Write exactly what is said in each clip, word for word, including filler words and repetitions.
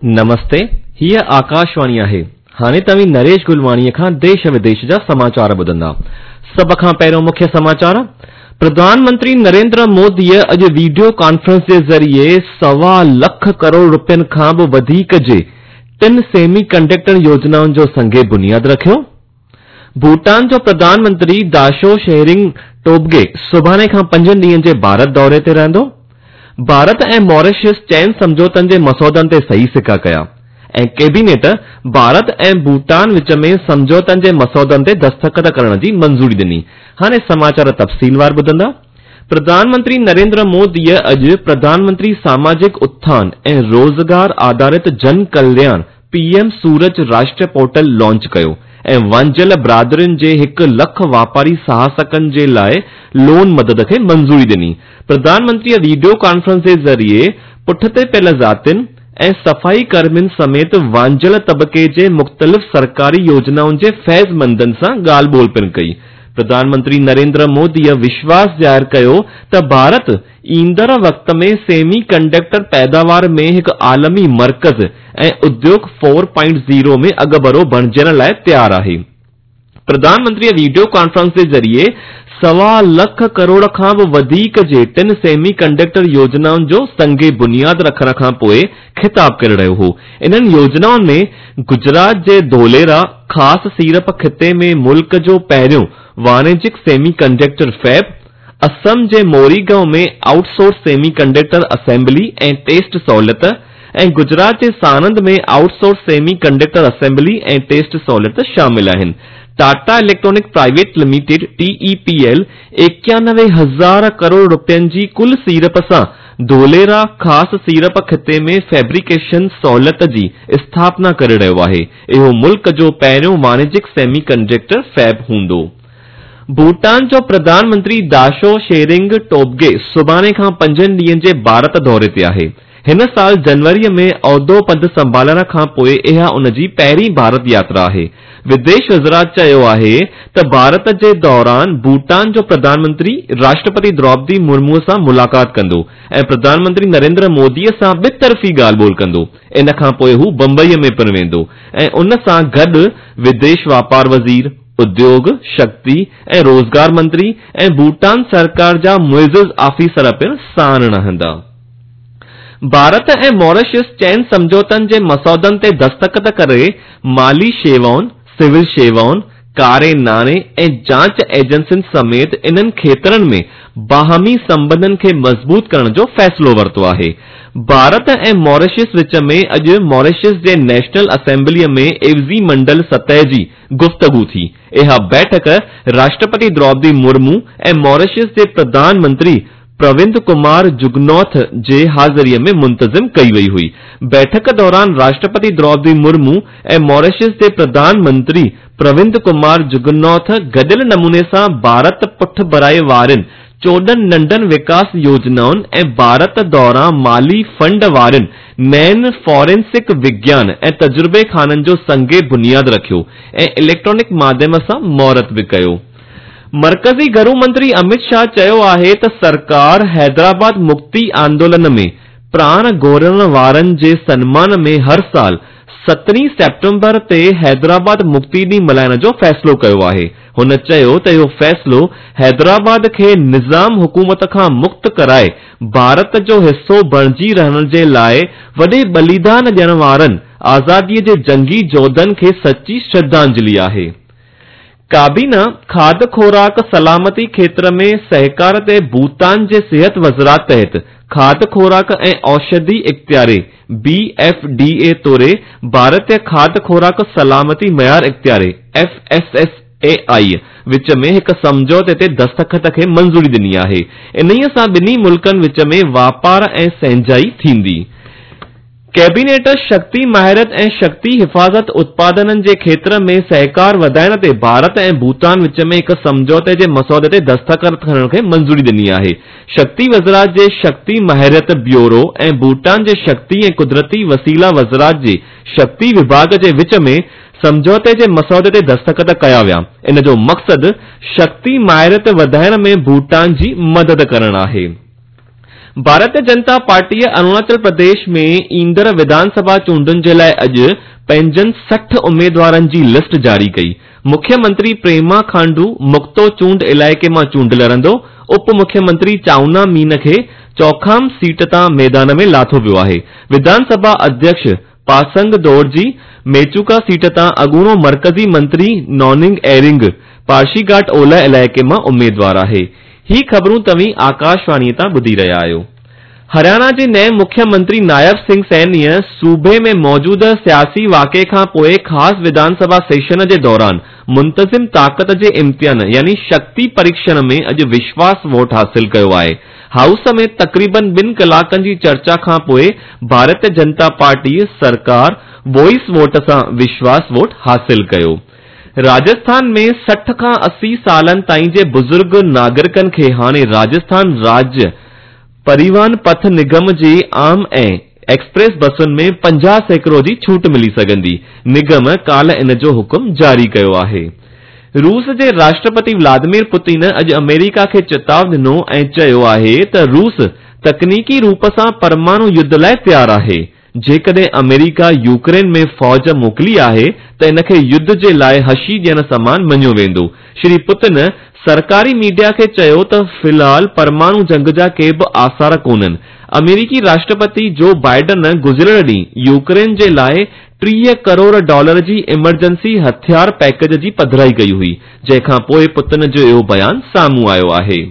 नमस्ते, हीअ आकाशवाणी आहे। हाणे तव्हीं नरेश गुलवाणीअ खां देश विदेश जा समाचार ॿुधंदा। सभ खां पहिरियों मुख्य समाचार। प्रधानमंत्री नरेंद्र मोदीअ अॼु वीडियो कॉन्फ्रेंस जे ज़रिए सवा लख करोड़ रुपयनि खां बि वधीक जे टिनि सेमी कंडक्टर योजनाउनि जो संगे बुनियाद रखियो। भूटान जो प्रधानमंत्री दाशो शेरिंग टोबगे सुभाणे खां पंजनि ॾींहंनि जे भारत दौरे ते रहंदो। भारत ऐं मॉरिशस चइनि सम्झौतनि जे मसौदनि ते सही सिका कया ऐं कैबिनेट भारत ऐं भूटान विच में सम्झौतनि जे मसौदनि ते दस्तख़त करण जी मंज़ूरी ॾिनी। हाणे समाचार तफ़सीलवार ॿुधंदा। प्रधानमंत्री नरेंद्र मोदीअ अॼु प्रधानमंत्री सामाजिक उत्थान ऐं रोज़गार आधारित जन कल्याण पीएम सूरज राष्ट्रीय पोर्टल लॉन्च कयो ऐं वांझियल बिरादरियुनि जे हिकु लख वापारी साहसिकनि जे लाइ लोन मदद खे मंज़ूरी ॾिनी। प्रधानमंत्रीअ वीडियो कॉन्फ्रेंस जे ज़रिए पुठिते पियल ज़ातियुनि ऐं सफ़ाई कर्मियुनि समेत वांझियल तबिके जे मुख़्तलिफ़ सरकारी योजनाउनि जे फैज़मंदनि सां ॻाल्हि ॿोल पिणु कई। प्रधानमंत्री नरेंद्र मोदीअ विश्वास ज़ाहिर कयो त भारत ईंदड़ वक़्त में सेमी कंडक्टर पैदावार में हिकु आलमी मर्कज़ ऐं उद्योग फोर पॉइंट ज़ीरो में अॻुभरो बणिजण लाइ तयारु आहे। प्रधानमंत्रीअ वीडियो कॉन्फ्रेंस जे ज़रिए सवा लख करोड़ खां बि वधीक जे टिनि सेमी कंडक्टर योजनाउनि जो संगे बुनियाद रखण खां पोइ ख़िताब करे रहियो हो। इन्हनि योजनाउनि में गुजरात जे धोलेरा ख़ासि सीड़प ख़िते में मुल्क जो पहिरियों वाणिज्यिक सेमी कंडक्टर फैब, असम जे मोरीगांव में आउटसोर्स सेमी कंडक्टर असेंबली ऐं टेस्ट सहूलियत ऐं गुजरात जे साणंद में आउटसोर्स सेमी कंडक्टर असेंबली ऐं टेस्ट सहूलियत शामिल आहिनि। Tata electronic private limited T E P L एकानवे हज़ार करोड़ रुपयनि जी कुल सीड़प सां धोलेरा ख़ासि सीड़प ख़िते में फैब्रिकेशन सहूलियत जी स्थापना करे रहियो आहे। इहो मुल्क जो पहिरियों वाणिज्यिक सेमी कंडक्टर फैब हूंदो। भूटान जो प्रधानमंत्री दाशो शेरिंग टोबगे सुभाणे खां पंजनि ॾींहंनि जे भारत दौरे ते आहे। हिन साल जनवरीअ में औहदो पद संभालण खां पोइ इहा उन जी पहिरीं भारत यात्रा आहे। विदेश वज़ारत चयो आहे त भारत जे दौरान भूटान जो प्रधानमंत्री राष्ट्रपति द्रौपदी मुर्मू सां मुलाक़ात कंदो ऐं प्रधानमंत्री नरेंद्र मोदीअ सां ॿितरफ़ी ॻाल्हि ॿोल कंदो। इन खां पोइ हू बंबईअ में पिणु वेंदो ऐं उन सां गॾु विदेश वापार वज़ीर, उद्योग, शक्ति ऐं रोज़गार मंत्री ऐं भूटान सरकार जा मुइज़िज़ ऑफिसर पिणु साण रहंदा। भारत ऐं मॉरिशस चइनि सम्झौतनि जे मसौदनि ते दस्तख़त करे माली शेवाउनि, सिविल शेवाउनि, कारे नाणे ऐं जांच एजेंसियुनि समेत इन्हनि खेत्रनि में बाहमी संबंधनि खे मज़बूत करण जो फ़ैसिलो वरितो आहे। भारत ऐं मॉरिशस विच में अॼु मॉरिशस जे नेशनल असेंबलीअ में एवज़ी मंडल सतह जी गुफ़्तगू थी। इहा बैठक राष्ट्रपति द्रौपदी मुर्मू ऐं मॉरिशस जे प्रधानमंत्री प्रविंद कुमार जुगनौथ जे हाज़िरीअ में मुंतज़िम कई वई हुई। बैठक दौरान राष्ट्रपति द्रौपदी मुर्मू ऐं मॉरिशस जे प्रधानमंत्री प्रविंद कुमार जुगनौथ गॾियल नमूने सां भारत पुठभराई वारनि चोॾहं नंढनि विकास योजनाउनि ऐं भारत दौरान माली फंड वारनि नयनि फॉरेंसिक विज्ञान ऐं तजुर्बे खाननि जो संगे बुनियाद रखियो ऐं इलेक्ट्रॉनिक माध्यम सां मुहूर्त बि कयो। मर्कज़ी घरू मंत्री अमित शाह चयो आहे त सरकार हैदराबाद मुक्ति आंदोलन में प्राण गोरण वारनि जे सनमान में हर साल सतरहीं सेप्टेम्बर ते हैदराबाद मुक्ति ॾींहुं मल्हाइण जो फ़ैसिलो कयो आहे। हुन चयो त इहो फ़ैसिलो हैदराबाद खे निज़ाम हुकूमत खां मुक्त कराए भारत जो हिसो बणिजी रहण जे लाइ वॾे बलिदान ॾियण वारनि आज़ादीअ जे जंगी जोधनि खे सची श्रद्धांजलि आहे। काबीना खाध खोराक सलामती क्षेत्र में सहकार ते भूटान जे सिहत वज़ारत तहत खाध खोराक ऐं औषधि इख़्तियारी बी एफ डी ए तौरे भारतीय खाध खोराक सलामती मयार इख़्तियारी F S S A I विच में हिकु सम्झौते ते दस्तख़त खे मंज़ूरी ॾिनी आहे। इन्हीअ सां ॿिन्ही मुल्कनि विच में वापार ऐं संजाई थींदी। कैबिनेट शक्ति माहिरत ऐं शक्ति हिफ़ाज़त उत्पादननि जे क्षेत्र में सहकार वधाइण ते भारत ऐं भूटान विच में हिकु सम्झौते जे मसौदे ते दस्तख़त करण खे मंज़ूरी ॾिनी आहे। शक्ति वज़ारत जे शक्ति माहिरत ब्यूरो ऐं भूटान जे शक्ति ऐं कुदरती वसीला वज़ारत जे शक्ति विभाग जे विच में सम्झौते जे मसौदे ते दस्तख़त कया विया। इन जो मक़सदु शक्ति माहिरत वधाइण में भूटान जी मदद करणु आहे। ڀارتيه جنتا پارٽيء اروناچل پرديش ۾ ايندڙ وڌانسڀا چونڊن جي لاءِ اڄ پنهنجن سٺ اميدوارن جي لسٽ جاري ڪئي. مکيه منتري پريما کانڊو مڪتو چونڊ علائقي مان چونڊ لڙندو. اپ مکيه منتري چائونا مين کي چوکام سيٽ تان ميدان ۾ لاٿو ويو آهي. وڌانسڀا اڌيڪش پاسنگ دورجي ميچوڪا سيٽ تان اڳوڻو مرڪزي منتري نوننگ ايرنگ پارشيگهاٽ اولهه علائقي مان اميدوار آهي. هي خبرون توهين آڪاشواڻيء تان ٻڌي رهيا آهيو. هرياڻا جي نئين مکيه منتري نائب سنگهه سينيء صوبي ۾ موجوده سياسي واقعي کان پوءِ خاص وڌانسڀا سيشن جي دوران منتظم طاقت جي امتحان يعني شڪتي پريڪشڻ ۾ اڄ وشواس ووٽ حاصل ڪيو آهي. هائوس ۾ تقريبن ٻن ڪلاڪن جي چرچا کان پوءِ ڀارتيه جنتا پارٽي سرڪار وائس ووٽ سان وشواس ووٽ حاصل ڪيو. راجسٿان ۾ سٺ کان اسي سالن تائين جي بزرگ ناگرڪن کي هاڻي راجسٿان راجيه پريوهن پٿ نگم جي عام ۽ ايڪسپريس بسن ۾ پنجاهه سيڪڙو جي ڇوٽ ملي سگهندي. نگم ڪالهه ان جو حڪم جاري ڪيو آهي. روس جي راشٽرپتي ولاديمير پوتن اڄ آمريڪا کي چتاءُ ڏنو ۽ چيو آهي ته روس تڪنيڪي روپ سان پرماڻو يڌ لاءِ تيار آهي. جيڪڏهن آمريڪا يوڪرين ۾ فوج موڪلي آهي ته ان کي يڌ جي لاءِ هشي ڏيڻ سمان مڃيو ويندو. شري پوتن سرڪاري ميڊيا کي چيو ته في الحال پرماڻو جنگ جا ڪي به آثار ڪونهن. آمريڪي راشٽرپتي جو بائيڊن گذريل ڏينهن يوڪرين جي لاءِ ٽيهه ڪروڙ ڊالر جي ايمرجنسي هٿيار پيڪيج جي پڌرائي ڪئي هئي، جنهن کان پوءِ پوتن جو اهو بيان سامهون آيو آهي.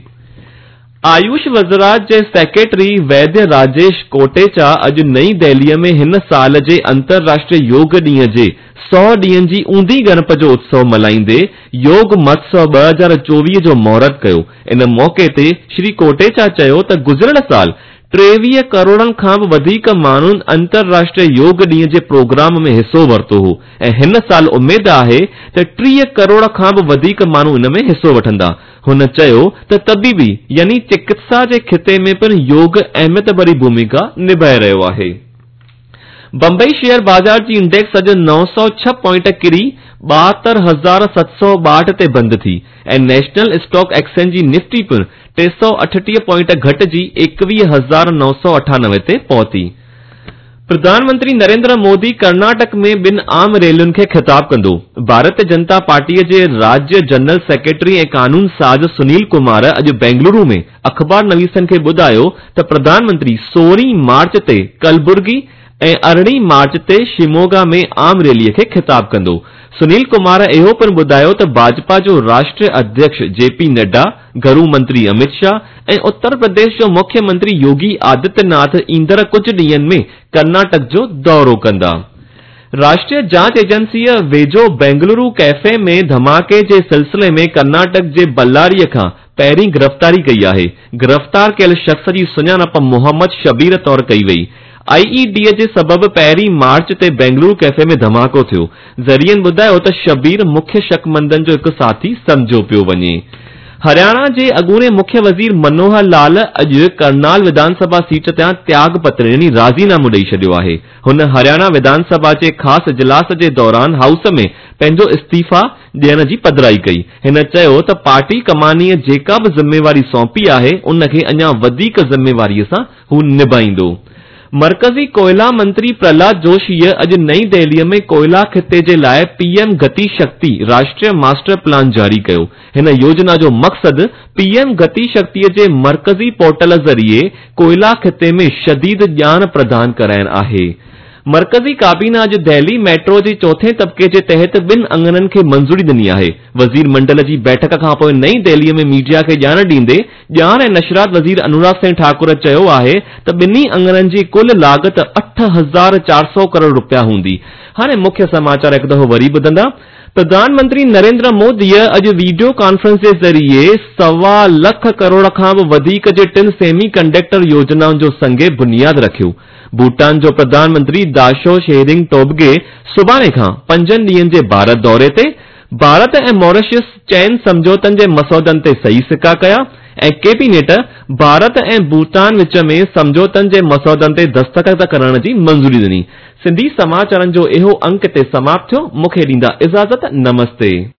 آيوش وزارت جي سيڪريٽري ويديه راجيش ڪوٽيچا اڄ نئين دهليءَ ۾ هن سال جي انترراشٽريه يوگ ڏينهن جي سؤ ڏينهن جي اونڌي ڳڻپ جو اتسو ملهائيندي يوگ مهوتسو ٻه هزار چوويهه جو مهورت ڪيو. ان موقعي تي شري ڪوٽيچا چيو ته گذريل سال ٽيويهه ڪروڙن کان به وڌيڪ ماڻهن انترراشٽريه يوگ ڏينهن جي پروگرام ۾ حصو ورتو هو ۽ هن سال اميد آهي ته ٽيهه ڪروڙ کان به وڌيڪ ماڻهو ان ۾ حصو وٺندا. هن چيو ته طبيبي يعني چڪتسا جي خطي ۾ پڻ يوگ اهميت ڀري ڀومڪا نڀائي رهيو آهي. بمبئي شيئر بازار جي انڊيڪس اڄ نو سؤ ڇهه پوائنٽ ڪري ٻاهتر هزار ست سؤ ٻاهٺ تي بند ٿي ۽ نيشنل اسٽاڪ ايڪسچينج جي نفٽي پڻ ٽي سؤ اٺٽيهه پوائنٽ گهٽجي ايڪويهه هزار نو سؤ اٺانوي تي پهتي. پرڌان منتري نريندر مودي ڪرناٽڪ ۾ ٻن عام ريلين کي خطاب ڪندو. ڀارتيه جنتا پارٽيءَ جي راجيه جنرل سيڪريٽري ۽ قانون ساز سنيل ڪمار اڄ بينگلورو ۾ اخبار نويسن کي ٻڌايو ته پرڌان منتري سورهين مارچ تي ڪلبرگي ۽ ارڙهين مارچ تي شموگا ۾ عام ريليءَ کي خطاب ڪندو. سنيل ڪمار اهو پڻ ٻڌايو ته ڀاجپا جو راشٽريه اڌيڪش جي پي نڊا، گهرو منتري امت شاهه ۽ اتر پرديش جو مکيه منتري يوگي آدتيه ناٿ ايندڙ ڪجهه ڏينهن ۾ ڪرناٽڪ جو دورو ڪندا. راشٽريه جاچ ايجنسيءَ ويجهو بينگلورو ڪيفي ۾ ڌماڪي جي سلسلي ۾ ڪرناٽڪ جي بلاريءَ کان پهرين گرفتاري ڪئي آهي. گرفتار ڪيل شخص جي سڃاڻپ محمد شبير طور ڪئي وئي. I A D جي سبب پهرين مارچ تي بينگلورو ڪيفي ۾ ڌماڪو ٿيو. ذريعن ٻڌايو ته شبير مکيه شڪمندن جو هڪ ساٿي سمجهيو پيو وڃي. هرياڻا جي اڳوڻي مکيه وزير منوهر لال اڄ ڪرنال وڌانسڀا سيٽ تان تياڳ پتر يعني راضينامو ڏئي ڇڏيو آهي. هن هرياڻا وڌانسڀا جي خاص اجلاس جي دوران هائوس ۾ پنهنجو استعيفا ڏيڻ جي پڌرائي ڪئي. هن چيو ته پارٽي ڪمانيءَ جيڪا به ذميواري سونپي آهي ان کي اڃا وڌيڪ ذميواريءَ سان هو نڀائيندو. مرڪزي ڪوئلا منتري پرهلاد جوشيءَ اڄ نئين دهليءَ ۾ ڪوئلا خطي جي لاءِ پي ايم گتي شڪتي راشٽريه ماسٽر پلان جاري ڪيو. هن يوجنا جو مقصد پي ايم گتي شڪتيءَ جي مرڪزي پورٽل ذريعي ڪوئلا خطي ۾ شديد ڄاڻ پردان ڪرائڻ آهي. مرڪزي ڪابينا اڄ دهلي ميٽرو جي چوٿين طبقي جي تحت ٻن اڱڻن کي منظوري ڏني آهي. وزير منڊل جي بيٺڪ کان پوءِ نئين دهليءَ ۾ ميڊيا کي ڄاڻ ڏيندي ڄاڻ ۽ نشرات وزير انوراگ سنگهه ٺاڪر چيو آهي ته ٻنهي اڱڻن جي ڪل لاڳت اٺ هزار چار سؤ ڪروڙ رپيا هوندي. هاڻي مکيه سماچار هڪ دفعو وري ٻڌندا. پرڌان منتري نريندر موديءَ اڄ وڊيو ڪانفرنس جي ذريعي سوا لک ڪروڙ کان به وڌيڪ جي ٽن سيمي ڪنڊڪٽر يوجنائن جو سنگ بنياد رکيو. ڀوٽان جو پرڌان منتري داشو شيرنگ ٽوبگي سڀاڻي کان پنجن ڏينهن جي ڀارت دوري تي. ڀارت ۽ ماريشس چئن سمجهوتن جي مسودن تي صحيح سڪا ڪيا ۽ ڪيبينيٽ ڀارت ۽ ڀوٽان وچ ۾ سمجهوتن جي مسودن تي دستخط ڪرڻ جي منظوري ڏني. سنڌي سماچارن جو اهو انڪ هتي سماپت ٿيو. مون کي ڏيندا اجازت. نمستي.